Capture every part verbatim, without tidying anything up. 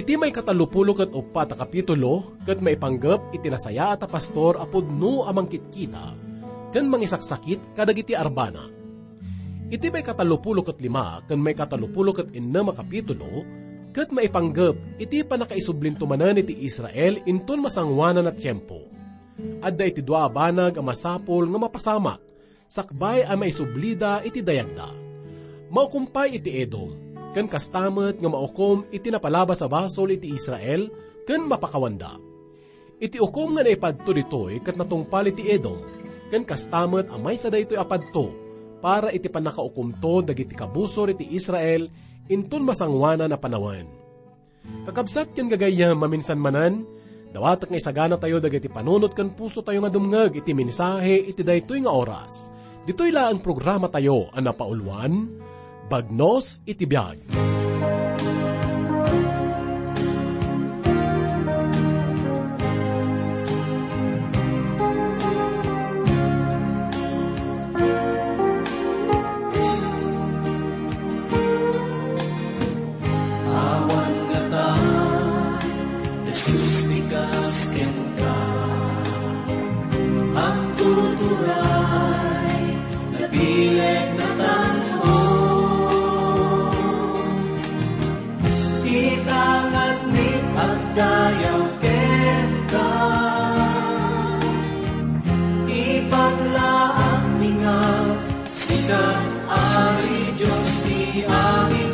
Iti maikatallopulo ket uppat a kapitulo ket maipanggep iti nasayaat a pastor a pudno a mangkitkita ken mangisaksakit kadagiti arbana. Iti maikatallopulo ket lima ken maikatallopulo ket innem a kapitulo ket maipanggep iti pannakaisublinto manen iti Israel inton masangoanan a tiempo. Adda iti dua a banag a masapul nga mapasamak sakbay a maisublida iti dayagda. Maukom pay iti Edom, ken kasta met nga maukom iti napalabas a basol iti Israel ken mapakawanda. Iti ukom nga naipadto ditoy ket natungpal iti Edom, ken kasta met a maysa daytoy a padto para iti pannakaukomto dagiti kabusor iti Israel inton masangoanan a panawen. Kakabsat ken gagayyem, maminsan manen, dawatek nga isaganatayo dagiti panunot ken pusotayo nga dumngeg iti mensahe iti daytoy nga oras. Ditoy laeng programatayo a napauluan, Bagnos iti Biag. Awan ngata, Jesus, ti kas kenka. Agtuturay, nabileg, natanmo. Ita ngarud agdayaw kenka. Ipaglaanmi nga Sika, Ari Dios ti amin,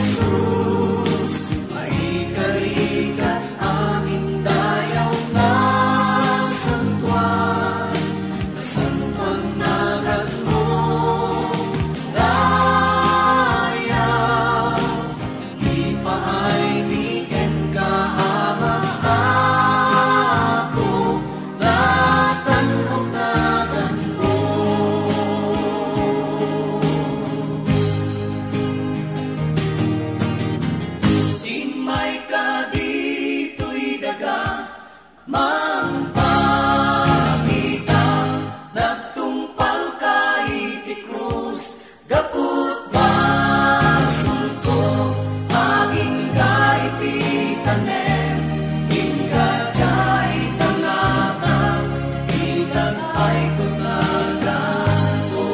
Jesus, maikari ka amin dayaw nga santuan, nasantuan naganmo, dayaw. Ipaaymi kenka, Ama, Apo, natan-ok naganmo. Immayka ditoy daga, mangpakita, nagtungpalka iti krus, gapu ta basolko, agingga iti tanem, ingga diay tangata, itag-ayko naganko.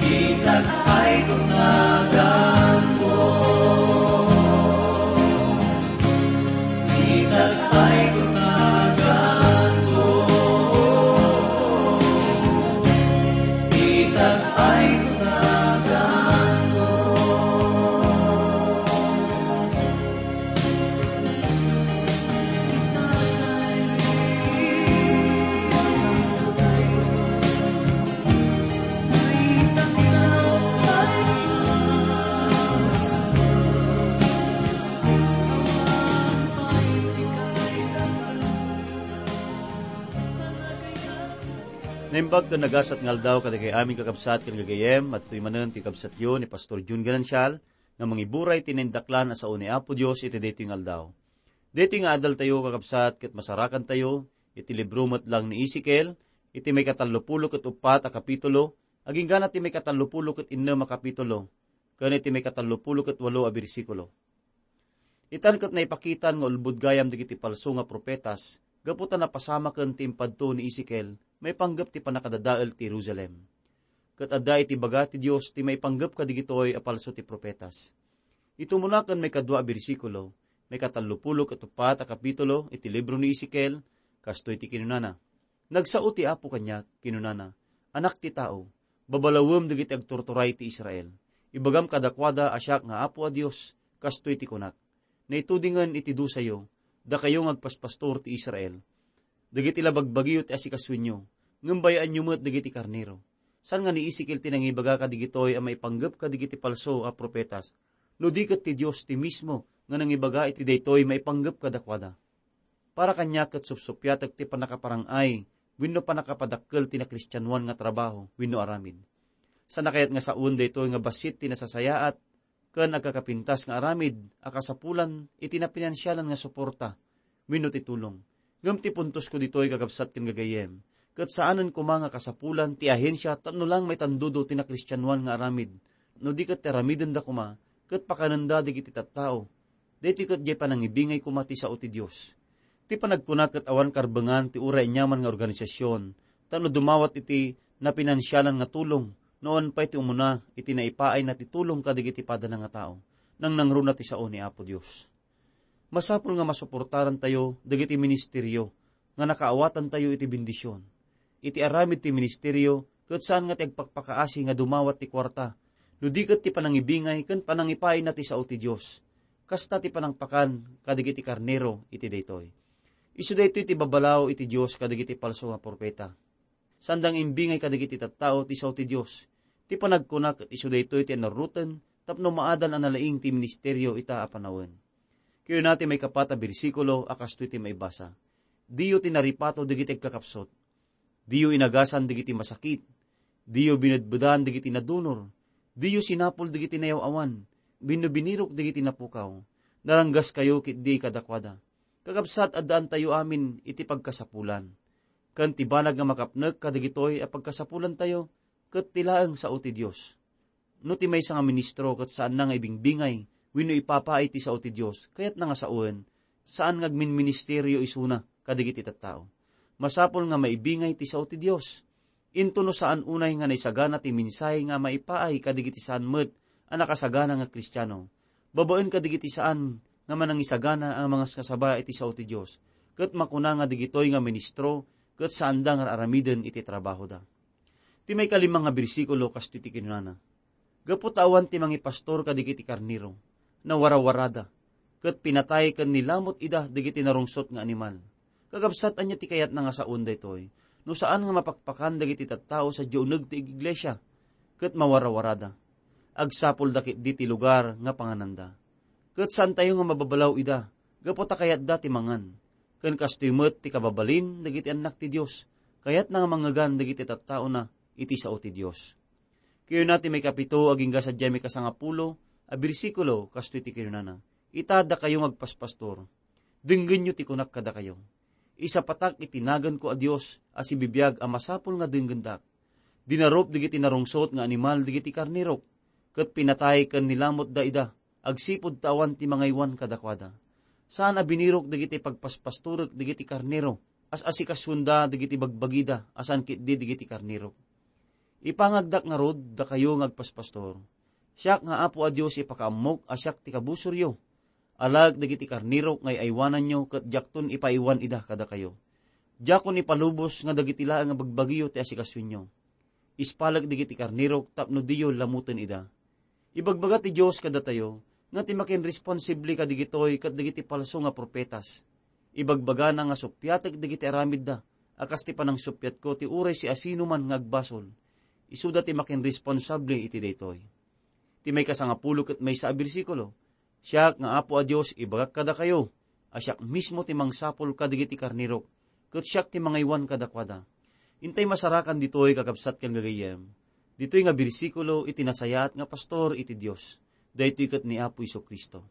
Itag-ayko naganko. Itag-ayko naganko. Itag-ayko naganko. Naimbag ken nagasat nga aldaw kadagiti amin kakabsat ken gagayyem, adtoy manen ti kabsatyo ni Pastor Jun Ganancial nga mangiburay ti naindaklan a sao ni Apo Dios iti daytoy nga aldaw. Daytoy nga adaltayo, kakabsat, ket masarakantayo iti libro met lang ni Ezekiel, iti maikatallopulo ket uppat a kapitulo, aginggana ti maikatallopulo ket innem a kapitulo, ken iti maikatallopulo ket walo a bersikulo. Itan ket naipakitan nga ulbod gayam dagiti palso nga profetas, gapu ta napasamaken ti impadto ni Ezekiel maipanggep ti pannakadadael ti Jerusalem. Ket adda iti baga ti Dios ti maipanggep kadigitoy a palso ti profetas. Iti umuna ken maikadua a bersikulo, maikatallopulo ket uppat a kapitulo iti libro ni Ezekiel, kastoy ti kinunana, "Nagsao ti Apo kaniak, kinunana, 'Anak ti tao, babalawem dagiti agturturay ti Israel. Ibagam kadakuada a siak nga Apo a Dios, kastoy ti kunak: Naitudingen iti dusayo, dakayo nga agpaspastor ti Israel. Dagiti la bagbagiyo ti asikasoenyo, ngem bay-anyo met dagiti karnero.'" Saan nga ni Ezekiel ti nangibaga kadigitoy a maipanggep kadigiti palso a profetas, no di ket ti Dios ti mismo nga nangibaga iti daytoy maipanggep kadakuada. Para kaniak ket supsuppiatek ti pannakaparang-ay wenno pannakapadakkel ti nakristianoan nga trabaho wenno aramid. Saan a kayat nga sawen daytoy nga bassit ti nasasayaat ken agkakapintas nga aramid a kasapulan iti napinansialan nga suporta wenno ti tulong. Ngem ti puntosko ditoy, kakabsat ken gagayyem, ket saanen koma nga kasapulan ti ahensia tapno lang maitandudo ti nakristianoan nga aramid no di ket ti aramidenda koma, ket pakanenda dagiti tattao. Daytoy ket diay panangibingay koma ti sao ti Dios. Ti panagkuna ket awan karbengan ti uray aniaman nga organisasyon tapno dumawat iti napinansialan nga tulong, no awan pay ti umuna iti naipaayna ti tulong kadagiti padana nga tao, nangnangruna ti sao ni Apo Dios. Masapul nga masuportarantayo dagiti ministerio nga nakaawatantayo iti bendision. Iti aramid ti ministerio, ket saan nga ti agpakpakaasi nga dumawat ti kuarta, no di ket ti panangibingay ken panangipaayna ti sao ti Dios. Kasta ti panangpakan kadagiti karnero iti daytoy. Isu daytoy ti babalaw iti Dios kadagiti falso nga profeta. Saan da nga imbingay kadagiti tattao ti sao ti Dios. Ti panagkuna ket isu daytoy ti anaruten tapno maadal a nalaing ti ministerio ita a panawen. Kayuna ti maikapat a bersikulo a kastoy ti maibasa, "Diyo tinaripato dagiti agkakapsut. Diyo inagasan dagiti masakit. Diyo binedbedan dagiti nadunor. Diyo sinapul dagiti nayaw-awan. Binno binirok dagiti napukaw. Naranggaskayo ketdi kadakuada. Kakabsat, addaantayo amin iti pagkasapulan. Ken ti banag nga makapnek kadagitoy a pagkasapulantayo, ket ti laeng sao ti Dios." No ti maysa nga ministro ket saanna nga ibingbingay wenno ipapaay ti sao ti Dios, kayatna nga sawen, saan nga agminministerio isuna kadagiti tattao. Masapul nga maibingay ti sao ti Dios. Inton no saan unay nga naisagana ti mensahe nga maipaay kadagiti saan met a nakasagana nga Kristiano, babaen kadagiti saan nga manangisagana a mangaskasaba iti sao ti Dios, ket makuna nga dagitoy nga ministro ket saanda nga aramiden iti trabahoda. Ti maikalima nga bersikulo, kastoy ti kinunana, "Gapu ta awan ti mangipastor kadagiti karnero, nawarawarada, ket pinatay ken nilamot ida dagiti narungsot nga animal." Kakabsat, ania ti kayatna nga sawen daytoy? No saan nga mapakpakan dagiti tattao sadiay uneg ti iglesia, ket mawarawarada. Agsapulda ketdi ti lugar nga pangananda. Ket saantayo nga mababalaw ida, gapu ta kayatda ti mangan. Ken kastoy met ti kababalin dagiti annak ti Dios, kayatna nga mangngegan dagiti tattaona iti sao ti Dios. Kayuna ti maikapito agingga sadiay maikasangapulo a bersikulo, kastoy ti kinunana, "Ita, dakayo nga agpaspastor, denggenyo ti kunak kadakayo. Isapatak iti naganko a Dios a sibibiag a masapul nga denggendak. Dinarup dagiti narungsot nga animal dagiti karnerok, ket pinatay ken nilamotda ida agsipud ta awan ti mangaywan kadakuada. Saan a binirok dagiti pagpaspastorek dagiti karnero, as-asikasuenda dagiti bagbagida a saan ketdi dagiti karnerok. Ipangagdak ngarud, dakayo nga agpaspastor. Siak nga Apo a Dios ipakaammok a siak ti kabusoryo. Alaek dagiti karnerok nga ay-aywananyo ket diakton ipaaywan ida kadakayo. Diakon ipalubos nga dagiti laeng a bagbagiyo ti asikasuenyo. Ispalek dagiti karnerok tapno diyo lamoten ida." Ibagbaga ti Dios kadatayo nga ti makinresponsable kadagitoy ket dagiti falso nga profetas. Ibagbagana nga suppiatek dagiti aramidda a kas ti panangsuppiatko ti uray siasinoman nga agbasol. Isuda ti makinresponsable iti daytoy. Ti maikasangapulo ket maysa a bersikulo, "Siak nga Apo a Dios, ibagak kadakayo a siak mismo ti mangsapul kadagiti karnerok, ket siak ti mangaywan kadakuada." Intay masarakan ditoy, kakabsat ken gagayyem. Ditoy nga bersikulo iti nasayaat nga pastor iti Dios. Daytoy ket ni Apo Jesu-Cristo.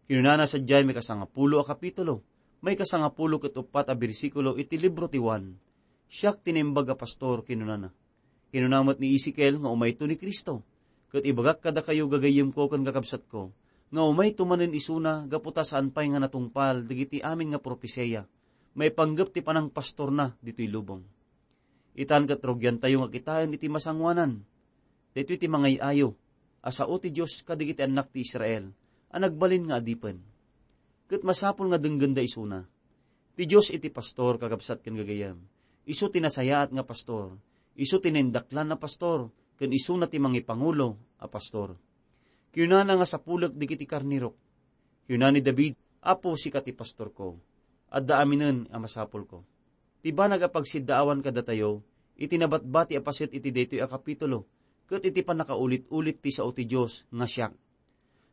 Kinunana sadiay maikasangapulo a kapitulo, maikasangapulo ket uppat a bersikulo iti libro ti Juan, "Siak ti naimbag a pastor," kinunana. Kinuna met ni Ezekiel nga umayto ni Cristo. Ket ibagak kadakayo, gagayyemko ken kakabsatko, nga umayto manen isuna gapu ta saan pay nga natungpal dagiti amin nga propesia maipanggep ti panangpastorna ditoy lubong. Itan ket rugiantayo nga kitaen iti masangoanan. Daytoy ti mangay-ayo a sao ti Dios kadagiti annak ti Israel a nagbalin nga adipen. Ket masapul nga denggenda isuna. Ti Dios iti pastor, kakabsat ken gagayyem. Isu ti nasayaat nga pastor. Isu ti naindaklan a pastor, ken isuna ti mangipangulo a pastor. Kinunana nga sapulek dagiti karnerok. Kinuna ni David, "Apo, sika ti pastorko. Adda aminen a masapulko." Ti banag a pagsiddaawan kadatayo iti nabatbati a paset iti daytoy a kapitulo ket iti pannakaulit-ulit ti sao ti Dios nga siak.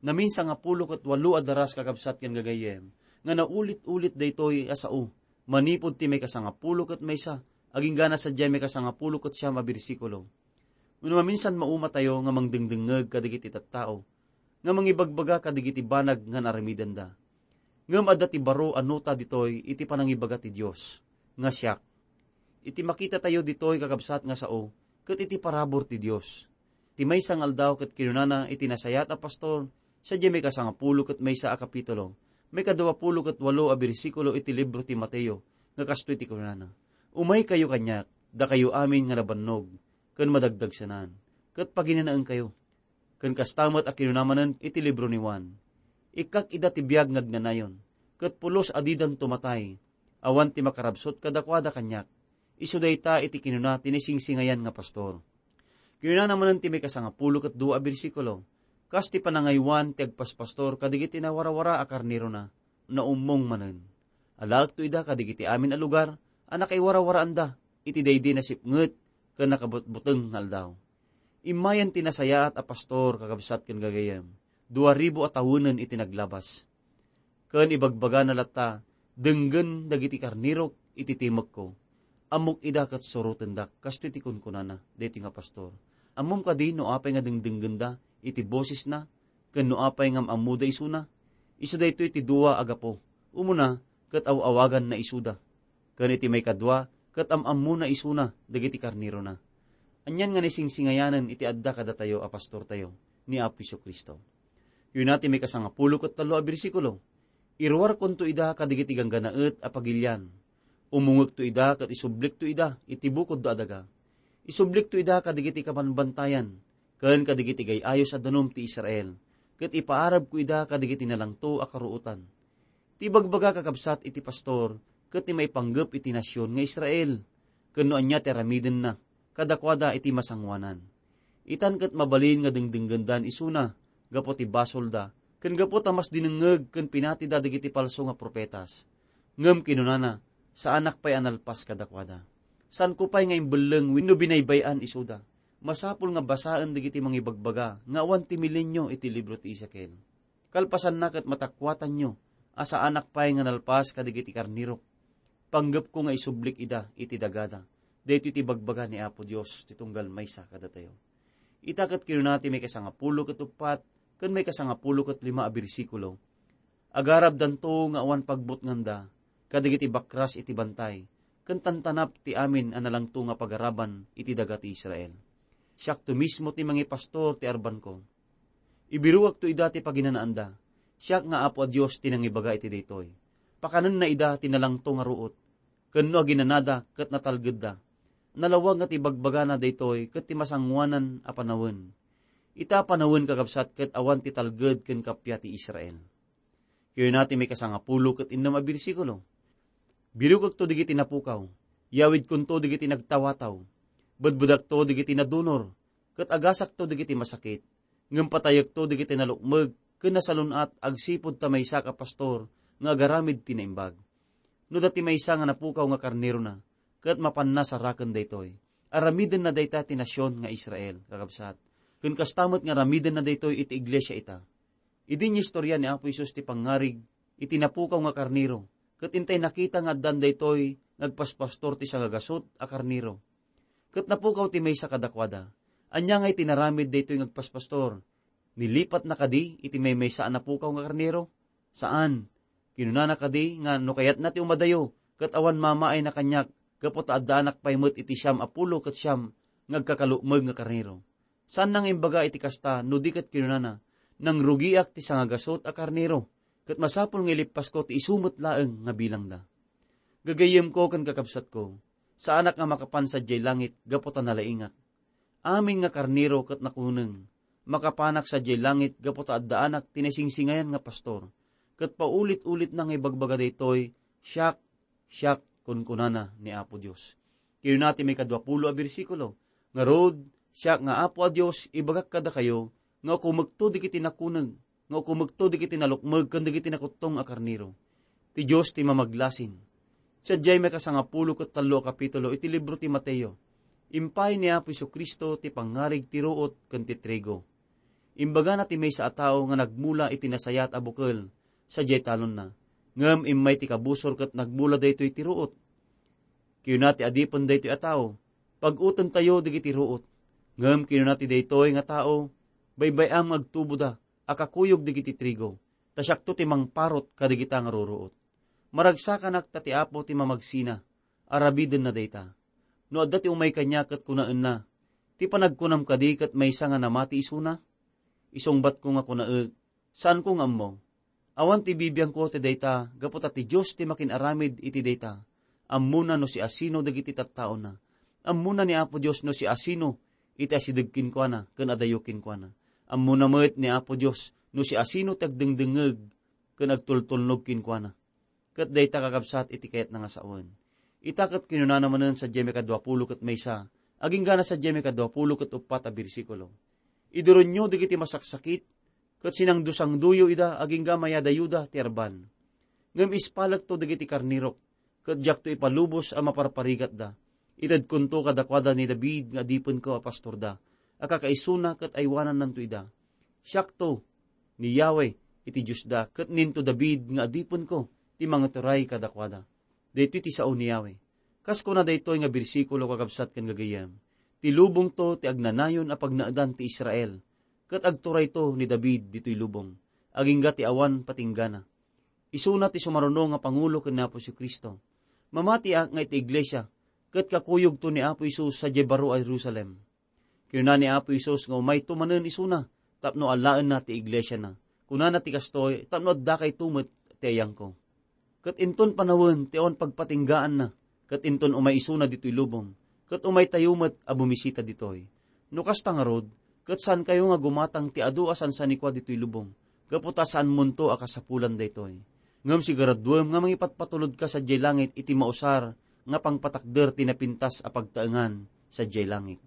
Naminsangapulo ket walo a daras, kakabsat ken gagayyem, nga naulit-ulit daytoy a sao, manipud ti maikasangapulo ket maysa, aginggana sadiay maikasangapulo ket siam a bersikulo. Wenno maminsan maumatayo nga mangdengdengngeg kadagiti tattao nga mangibagbaga kadagiti banag nga naramidenda. Ngem adda ti baro a nota ditoy iti panangibaga ti Dios, nga siak. Iti makitatayo ditoy, kakabsat, nga sao ket iti parabur ti Dios. Ti maysa nga aldaw ket kinunana iti nasayaat a pastor, sadiay maikasangapulo ket maysa a kapitulo, maikaduapulo ket walo a bersikulo iti libro ti Mateo, nga kastoy ti kunana, "Umaykayo kaniak, dakayo amin nga nabannog ken madagdagsenan, ket paginanaenkayo." Ken kasta met a kinuna manen iti libro ni Juan, "Ikkak ida ti biag nga agnanayon, ket pulos a didanto matay, awan ti makarabsut kadakuada kaniak." Isu dayta iti kinuna ti naisingsingayan nga pastor. Kinunana manen ti maikasangapulo ket dua a bersikulo, "Kas ti panangaywan ti agpaspastor kadagiti nawarawara a karnerona, naummong manen. Alaekto ida kadagiti amin a lugar a nakaiwarawaraanda iti daydi nasipnget ken nakabutbuteng nga aldaw." Immayen ti nasayaat a pastor, kakabsat ken gagayyem, dua ribu a tawenen iti naglabas. Ken ibagbagana latta, "Denggen dagiti karnerok iti timekko. Ammok ida ket surotendak," kastoy ti kunkunana daytoy nga pastor. Ammom kadi no apay nga dengdengngenda iti bosesna ken no apay nga am-ammoda isuna? Isu daytoy ti dua a gapu. Umuna, ket aw-awaganna isuda. Ken iti maikadua, ket am-ammona isuna dagiti karnerona. Anian nga naisingsingayanen iti adda kadatayo a pastortayo ni Apo Jesu-Cristo. Kinuna ti maikasangapulo ket tallo a bersikulo, "Iruarkonto ida kadagiti gangganaet a pagilian. Umungekto ida ket isublikto ida iti bukodda a daga. Isublikto ida kadagiti kabanbantayan ken kadagiti gay-ayos a danum ti Israel, ket ipaarabko ida kadagiti nalangto a karuotan." Ti ibagbaga, kakabsat, iti pastor ket ti maipanggep iti nasion nga Israel, ken no ania ti aramidenna kadakuada iti masangoanan. Itan ket mabalin nga dengdenggendan isuna gapu ti basolda, ken gapu ta mas dinengngeg ken pinatida dagiti palso nga profetas. Ngem kinunana, "Saanak pay a nalpas kadakuada. Saanko pay nga imbelleng wenno binaybay-an isuda. Masapul nga basaen dagiti mangibagbaga nga awan ti milenio iti libro ti Ezekiel. Kalpasanna ket matakuatanyo a saanak pay nga nalpas kadagiti karnerok. Panggepko nga isublik ida iti dagada." Daytoy ti ibagbaga ni Apo Dios ti tunggal maysa kadatayo. Ita ket kinuna ti maikasangapulo ket uppat ken maikasangapulo ket lima a bersikulo, "Agarabdanto nga awan pagbutnganda kadagiti bakras iti bantay, ken tantanap ti amin a nalangto nga pagaraban iti daga ti Israel. Siakto mismo ti mangipastor ti arbanko. Ibiruakto ida ti paginanaanda. Siak nga Apo a Dios ti nangibaga iti daytoy. Pakanenna ida ti nalangto nga ruot, ken no aginanada ket natalgedda. Nalawag nga ti bagbagana daytoy ket ti masangoanan a panawen. Ita a panawen, kakabsat, ket awan ti talged ken kappia ti Israel." Kinuna ti maikasangapulo ket innem a bersikulo, "Birukekto dagiti napukaw, yawidkonto dagiti nagtawataw, bedbedakto dagiti nadunor, ket agasakto dagiti masakit, ngem patayekto dagiti nalukmeg ken nasalun-at agsipud ta maysak a pastor nga agaramid ti naimbag. No adda ti maysa nga napukaw nga karnerona, ket mapanna saraken daytoy, aramidenna dayta ti nasion nga Israel, kakabsat. Ken kasta met nga aramidenna daytoy iti iglesia ita." Idi inistorya ni Apo Jesus ti pangngarig iti napukaw nga karnero, ket intay nakita nga addan daytoy nga agpaspastor ti sangagasut a karnero. Ket napukaw ti maysa kadakuada. Ania ngay ti naramid daytoy nga agpaspastor? Nilipatna kadi iti maymaysa a napukaw nga karnero? Saan. Kinunana kadi nga no kayatna ti umadayo, ket awan mamaayna kaniak, gapu ta addaanak pay met iti siam a pulo ket siam nga agkakalukmeg nga karnero. Saanna nga imbaga iti kasta, no di ket kinunana, "Nangrugiak ti sangagasut a karnero, ket masapul nga ilippasko ti isu met laeng nga bilangda." Gagayyemko ken kakabsatko, saanak nga makapan sadiay langit gapu ta nalaingak. Amin nga karnero ket nakuneng, makapanak sadiay langit gapu ta addaanak ti naisingsingayan nga pastor, ket paulit-ulitna nga ibagbaga daytoy, "Siak, siak," kunkunana ni Apo Dios. Kinuna ti maikaduapulo a bersikulo, "Ngarud, siak nga Apo a Dios, ibagak kadakayo nga ukumekto dagiti nakuneg, nga ukumekto dagiti nalukmeg ken dagiti nakuttong a karnero. Ti Dios ti mamaglasin." Sadiay maikasangapulo ket tallo a kapitulo iti libro ti Mateo, impay ni Apo Jesu-Cristo ti pangngarig ti ruot ken ti trigo. Imbagana ti maysa a tao nga nagmula iti nasayaat a bukel sadiay talonna, ngem immay ti kabusor ket nagmula daytoy ti ruot. Kinuna ti adipen daytoy a tao, "Pag-utentayo dagiti ruot." Ngem kinuna ti daytoy nga tao, "Baybay-am nga agtuboda a kakuyog dagiti trigo, ta siakto ti mangparut kadagita nga ruruot. Maragsakanak ta ti Apo ti mamagsina, arabidenna dayta. No adda ti umay kaniak ket kunaenna, Ti panagkunam kadi ket maysa nga namati isuna? Isungbatko nga kunaek, saanko nga ammo. Awan ti bibiangko ti dayta gapu ta ti Dios ti makin-aramid iti dayta. Ammona no siasino dagiti tattaona. Ammona ni Apo Dios no siasino iti asideg kenkuana ken adayo kenkuana. Ammona met ni Apo Dios no siasino ti agdengdengngeg ken agtultulnog kenkuana. Ket dayta, kakabsat, iti kayatna nga sawen. Ita ket kinunana manen sadiay maikadua pulo ket maysa, aginggana sadiay maikadua pulo ket uppat a bersikulo, "Iduronyo dagiti masaksakit, ket sinangdusangdoyo ida agingga mayadayuda ti arban. Ngem ispalekto dagiti karnerok, ket diakto ipalubos a maparparigatda. Itedkonto kadakuada ni David nga adipenko a pastorda, a kakaisuna ket aywanannanto ida. Siakto ni Yahweh iti Diosda, ket ninto David nga adipenko ti mangituray kadakuada." Daytoy ti sao ni Yahweh. Kas kuna daytoy nga bersikulo, kakabsat ken gagayyem, ti lubongto ti agnanayon a pagnaedan ti Israel, ket agturayto ni David ditoy lubong, agingga ti awan patinggana. Isuna ti sumaruno nga pangulo ken ni Apo Jesu-Cristo. Mamatiak nga iti iglesia, ket kakuyogto ni Apo Jesus sadiay baro a Jerusalem. Kinuna ni Apo Jesus nga umayto manen isuna tapno alaenna ti iglesiana. Kunana ti kastoy tapno addakayto met ti ayangko. Ket inton panawen ti awan pagpatinggaanna, ket inton umay isuna ditoy lubong, ket umaytayo met a bumisita ditoy. No kasta ngarud, ket saankayo nga gumatang ti adu a sansanikua ditoy lubong, gapu ta saanmonto a kasapulan daytoy. Ngem siguraduem nga mangipatpatulodka sadiay langit iti mausar nga pangpatakder ti napintas a pagtaengan sadiay langit.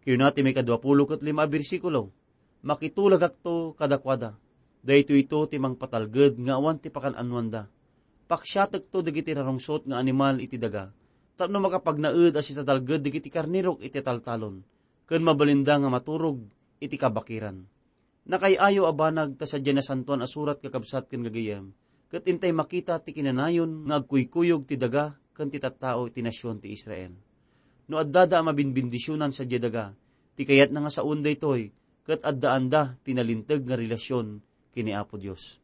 Kinuna ti maikadua pulo ket lima a bersikulo, "Makitulagakto kadakuada. Daytoyto ti mangpatalged nga awan ti pakan-anoanda. Paksiatekto dagiti narungsot nga animal iti daga, tapno makapagnaed a sitatalged dagiti karnerok iti taltalon, ken mabalinda nga maturog iti kabakiran." Nakay-ayo a banag ta sadiay Nasantoan a Surat, kakabsat ken gagayyem, ket intay makita ti kinanayon nga agkuykuyog ti daga ken ti tattao iti nasion ti Israel. No addada a mabinbendisionan sadiay daga, ti kayatna nga sawen daytoy, ket addaanda ti nalinteg nga relasion ken ni Apo Dios.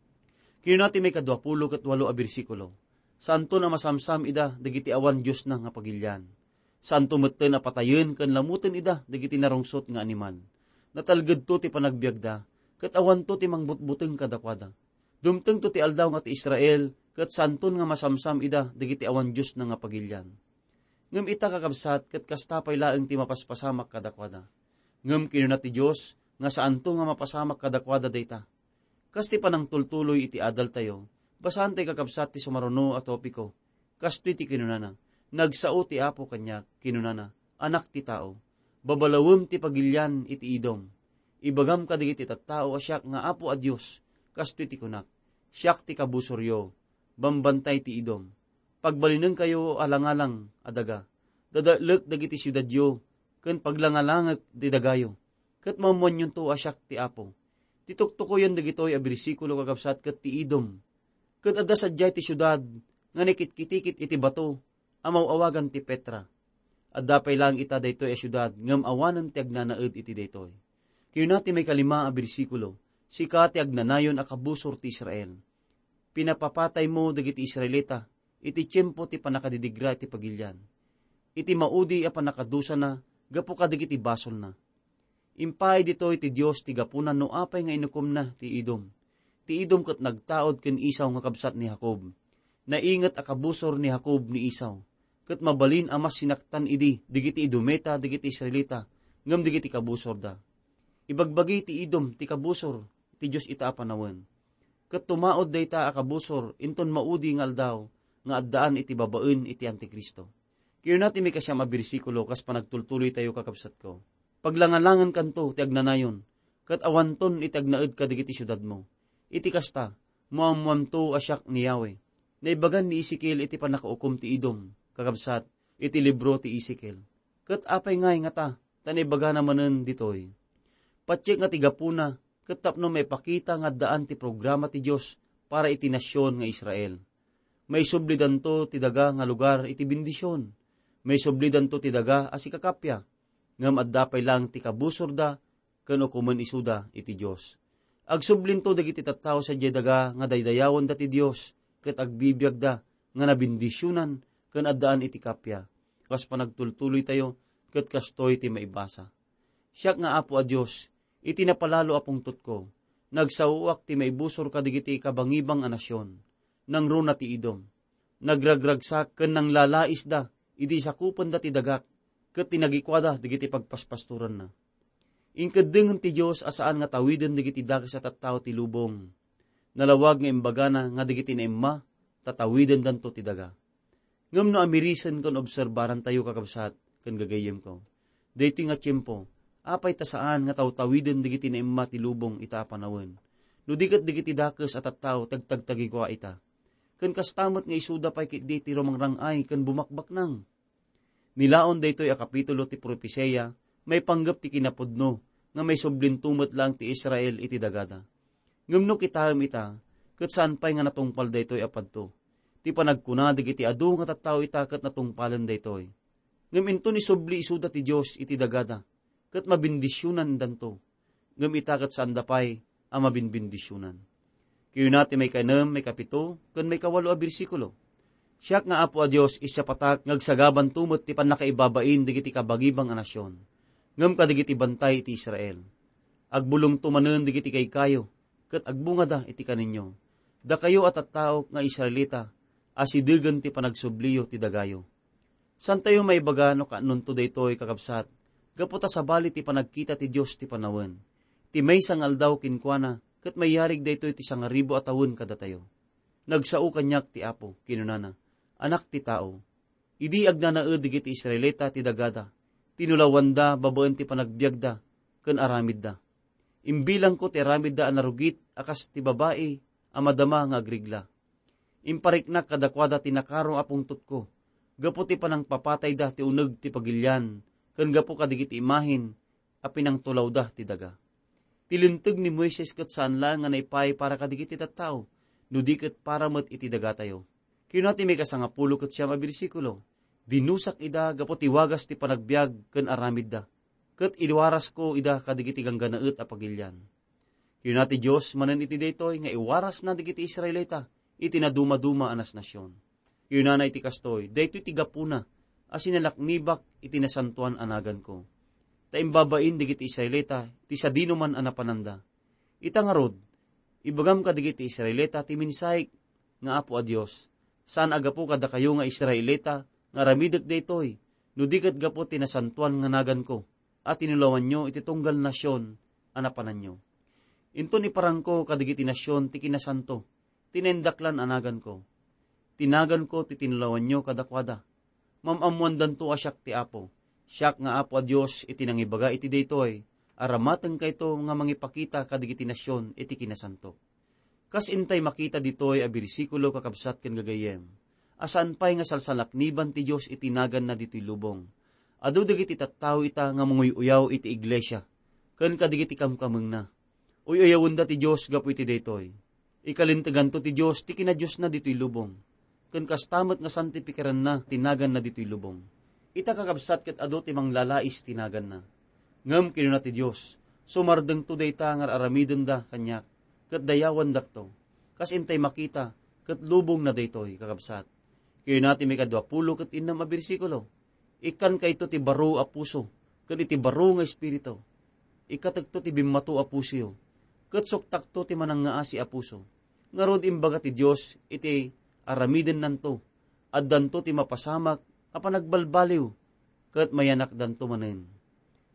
Kinuna ti maikadua pulo ket walo a bersikulo, "Saanton a masamsam ida dagiti awan Diosna nga pagilian. Saanto metten a patayen ken lamoten ida dagiti narungsot nga animal. Natalgedto ti panagbiagda, ket awanto ti mangbutbuteng kadakuada. Dumtengto ti aldaw nga ti Israel, ket saanton nga masamsam ida dagiti awan Diosna nga pagilian." Ngem ita, kakabsat, ket kasta pay laeng ti mapaspasamak kadakuada. Ngem kinuna ti Dios nga saanto nga mapasamak kadakuada dayta. Kas ti panangtultuloy iti adaltayo, basaantayo, kakabsat, ti sumaruno a topiko. Kastoy ti kinunana, "Nagsao ti Apo kaniak, kinunana, 'Anak ti tao, babalawem ti pagilian iti Edom. Ibagam kadagiti tattao a siak nga Apo a Dios, kastoy ti kunak, 'Siak ti kabusoryo, bambantay ti Edom. Pagbalinenkayo a langalang a daga. Dadaelek dagiti siudadyo ken paglangalangek ti dagayo, ket maammoanyonto a siak ti Apo.'" Ti tuktukoyen dagitoy a bersikulo, kakabsat, ket ti Edom. Ket adda sadiay ti siudad nga nakitkitikit iti bato a maw-awagan ti Petra. Adda pay laeng ita daytoy a siudad ngem awanen ti agnanaed iti daytoy. Kinuna ti maikalima a bersikulo, "Sika ti agnanayon a kabusor ti Israel. Pinapapataymo dagiti Israelita iti tiempo ti pannakadidigra iti pagilian, iti maudi a pannakadusana gapu kadagiti basolna." Impaay ditoy ti Dios ti gapuna no apay nga inukomna ti Edom. Ti Edom ket nagtaud ken Esau nga kabsat ni Jacob. Nainget a kabusor ni Jacob ni Esau, ket mabalin a mas sinaktan idi dagiti Edomita dagiti Israelita ngem dagiti kabusorda. Ibagbagi ti Edom ti kabusor ti Dios ita a panawen. Ket tumaud dayta a kabusor inton maudi nga aldaw nga addaan iti babaen iti Antikristo. Kinuna ti maikasiam a bersikulo kas panagtultuloytayo, kakabsatko, "Paglangalangankanto ti agnanayon, ket awanton iti agnaed kadagiti siudadmo. Iti kasta, maammoamto a siak ni Yahweh." Naibagan ni Ezekiel iti pannakaukom ti Edom, kakabsat, iti libro ti Ezekiel. Ket apay ngay ngata ta naibagana manen ditoy? Patiek nga ti gapuna ket tapno maipakita nga addaan ti programa ti Dios para iti nasion nga Israel. Maisublidanto ti daga nga lugar iti bendision. Maisublidanto ti daga a sikakappia. Ngem adda pay laeng ti kabusorda ken ukomen isuda iti Dios. Agsublinto dagiti tattao sadiay daga nga daydayawenda ti Dios ket agbibiagda nga nabendisionan ken addaan iti kappia. Kas panagtultuloytayo, ket kastoy ti maibasa. Siak nga Apo a Dios, iti napalalo a pungtotko, nagsaoak ti maibusor kadagiti kabangibang a nasion. Nangruna ti Edom. Nagragragsak ken nanglalaisda idi sakupenda ti dagak, ket tinagikuada dagiti pagpaspastoranna. Inkeddengen ti Dios a saan nga tawiden dagiti dakes a tattao ti lubong. Nalawag nga imbagana nga dagiti naimma, tatawidendanto ti daga. Ngem no amirisen ken obserbarantayo, kakabsat ken gagayyemko, daytoy nga tiempo, apay ta saan nga tawtawiden dagiti naimma ti lubong ita a panawen? No di ket dagiti dakes a tattao ti agtagtagikua ita. Ken kasta met nga isuda pay ketdi ti rumangrang-ay ken bumakbaknang. Nilaon daytoy a kapitulo ti propesia maipanggep ti kinapudno nga maisublinto met laeng ti Israel iti dagada. Ngem no kitaem ita, ket saan pay nga natungpal daytoy a padto. Ti panagkuna dagiti adu nga tattao ita ket natungpalen daytoy. Ngem inton isubli isuda ti Dios iti dagada, ket mabindisionandanto. Ngem ita ket saanda pay a mabinbindisionan. Kayuna ti maikanem, maikapito, ken maikawalo a bersikulo. Siak nga Apo a Dios, isiapatak nga agsagabanto met ti pannakaibabain dagiti kabagibang a nasion, ngem kadagiti bantay iti Israel. Agbulongto manen dagiti kaykayo, ket agbungada iti kaninyo. Dakayo a tattaok nga Israelita, asidegen ti panagsubliyo ti dagayo. Santayo maibaga no kaanonto daytoy, kakabsat, gapu ta sabali ti panagkita ti Dios ti panawen. Ti maysa nga aldaw kenkuana, ket mayarig daytoy ti sangaribu a tawen kadatayo. Nagsao kaniak ti Apo, kinunana, Anak ti tao, idi agnanaed dagiti Israelita ti dagada, tinulawanda babaen ti panagbiagda ken aramidda. Imbilangko ti aramidda a narugit a kas ti babai a madama nga agrigla. Impariknak kadakuada ti nakaro a pungtotko, gapu ti panangpapatayda ti uneg ti pagilian, ken gapu kadagiti imahen a pinangtulawda ti daga. Ti Linteg ni Moises ket saan laeng nga naipaay para kadagiti tattao, no di ket para met iti dagatayo. Kinuna ti maikasangapulo ket siam a bersikulo, Dinusak ida gapu ti wagas ti panagbiag ken aramidda, ket iwarasko ida kadagiti ganggannaet a pagilian. Kinuna ti Dios manen iti daytoy nga iwarasna dagiti Israelita iti nadumaduma a nasnasion. Kinunana iti kastoy, Daytoy ti gapuna a sinalaknibak iti nasantoan a naganko, ta imbabain dagiti Israelita ti sadinoman a napananda. Ita ngarud, ibagam kadagiti Israelita ti mensahe nga Apo a Dios, saan a gapu kadakayo nga Israelita nga aramidek daytoy, no di ket gapu ti nasantoan nga naganko a tinulawanyo iti tunggal nasion a napananyo. Inton iparangko kadagiti nasion ti kinasanto, ti naindaklan a naganko. Ti naganko ti tinulawanyo kadakuada. Mam-ammoandanto a siak ti Apo. Siak nga Apo a Dios iti nangibaga iti daytoy, aramatengkayto nga mangipakita kadagiti nasion iti kinasanto. Kas intay makita ditoy a bersikulo, kakabsat ken gagayyem, a saan pay nga salsalakniban ti Dios iti naganna ditoy lubong. Adu dagiti tattao ita nga manguy-uyaw iti iglesia ken kadagiti kamkamengna. Uy-uyawenda ti Dios gapu iti daytoy. Ikalinteganto ti Dios ti kinadiosna ditoy lubong, ken kasta met nga santifikaranna ti naganna ditoy lubong. Ita, kakabsat, ket adu ti manglalais ti naganna. Ngem kinuna ti Dios, Sumardengto dayta nga ar-aramidenda kaniak, ket dayawandakto. Kas intay makita, ket lubongna daytoy, kakabsat. Kinuna ti maikadua pulo ket innem a bersikulo, Ikkankayto ti baro a puso ken iti baro nga espiritu. Ikkatekto ti bimmato a pusoyo, ket suktakto ti manangngaasi a puso. Ngarud, imbaga ti Dios iti aramidennanto, addanto ti mapasamak a panagbalbaliw, ket mayanakdanto manen.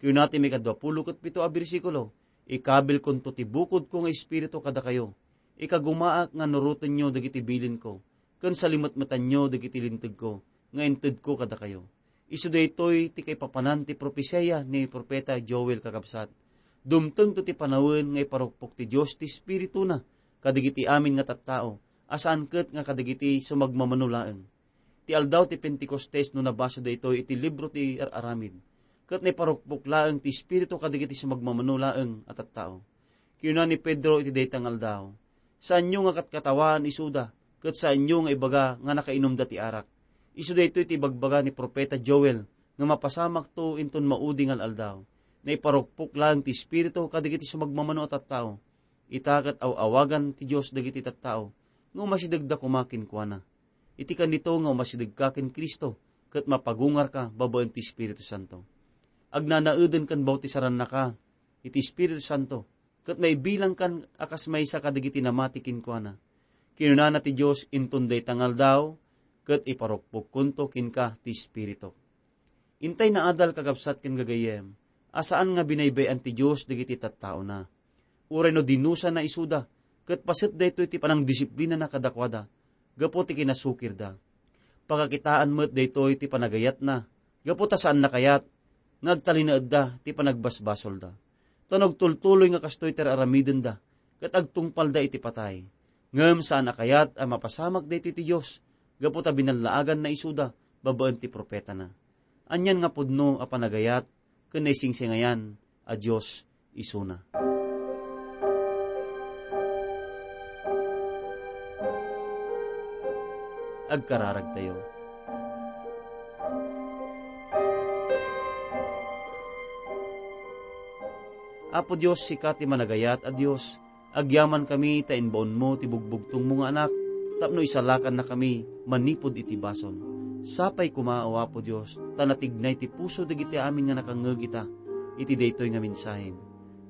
Kinuna ti maikadua pulo ket pito a bersikulo, Ikabilkonto ti bukodko nga espiritu kadakayo. Ikagumaak nga nurotenyo dagiti bilinko, ken salimetmetanyo dagiti lintegko nga intedko kadakayo. Isu daytoy ti kaipapanan ti propesia ni Profeta Joel, kakabsat. Dumtengto ti panawen nga iparukpok ti Dios ti Espirituna kadagiti amin nga tattao, a saan ket nga kadagiti sumagmamano laeng. Ti aldaw ti Pentecostes no nabasa daytoy iti libro ti Ar-aramid, ket naiparukpok laeng ti Espiritu kadagiti sumagmamano laeng a tattao. Kinuna ni Pedro iti dayta nga aldaw, Saanyo nga katkatawaan isuda, ket saanyo nga ibaga nga nakainumda ti arak. Isu daytoy ti ibagbaga ni Profeta Joel nga mapasamakto inton maudi nga al-aldaw. Naiparukpok laeng ti Espiritu kadagiti sumagmamano a tattao. Ita ket aw-awagan ti Dios dagiti tattao nga umasidegda koma kenkuana. Iti kanito nga umasidegka ken Cristo ket mapagungarka babaen ti Espiritu Santo. agnanaeden ken bautisarannaka iti Espiritu Santo, ket maibilangkan a kas maysa kadagiti namati kenkuana. Kinunana ti Dios, inton dayta nga aldaw, ket iparukpokkonto kenka ti Espiritu. Intay naadal kakabsat ken gagayyem, a saan nga binaybay-an ti Dios dagiti tattaona. Uray no dinusana isuda, ket paset daytoy ti panangdisiplinana kadakuada, gapu ti kinasukirda. Pakakitaan met daytoy ti panagayatna, gapu ta saan nakayat nga agtalinaedda ti panagbasbasolda. Ta no agtultuloy nga kastoy ti ar-aramidenda, ket agtungpalda iti patay. Ngem saan a kayat a mapasamak daytoy ti Dios, gapu ta binallaaganna isuda babaen ti profetana. Anian nga pudno a panagayat ken naisingsingayan a Dios isuna. Agkararagtayo. Apo Dios, sika ti managayat a Dios, agyamankami ta imbaonmo ti bugbugtongmo nga Anak tapno isalakannakami manipud iti basol. Sapay koma, O Apo Dios, ta natignay ti puso dagiti amin nga nakangngeg ita iti daytoy nga mensahem.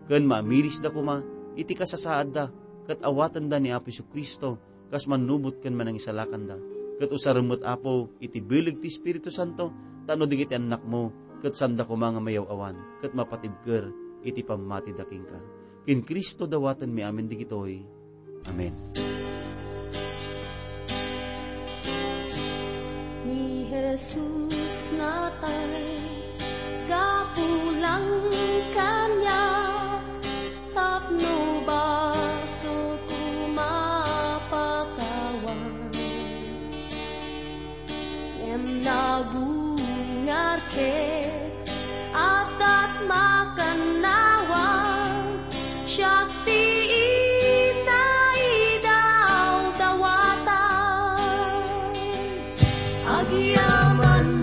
Ken maamirisda koma iti kasasaadda ket awatenda ni Apo Jesu-Cristo kas mannubot ken manangisalakanda. Ket usarem met, Apo, iti bileg ti Espiritu Santo, tapno dagiti annakmo ket sanda koma nga mayaw-awan ket mapatibker iti pammatida kenka. Ken Cristo dawatenmi amin dagitoy. Amen. Ni Jesus natay, kapulang kaniak, tapno basol ko mapatawad. Ngem nagungar ket adda ti makannawan, siak ti inaidaw dawatan. Agyaman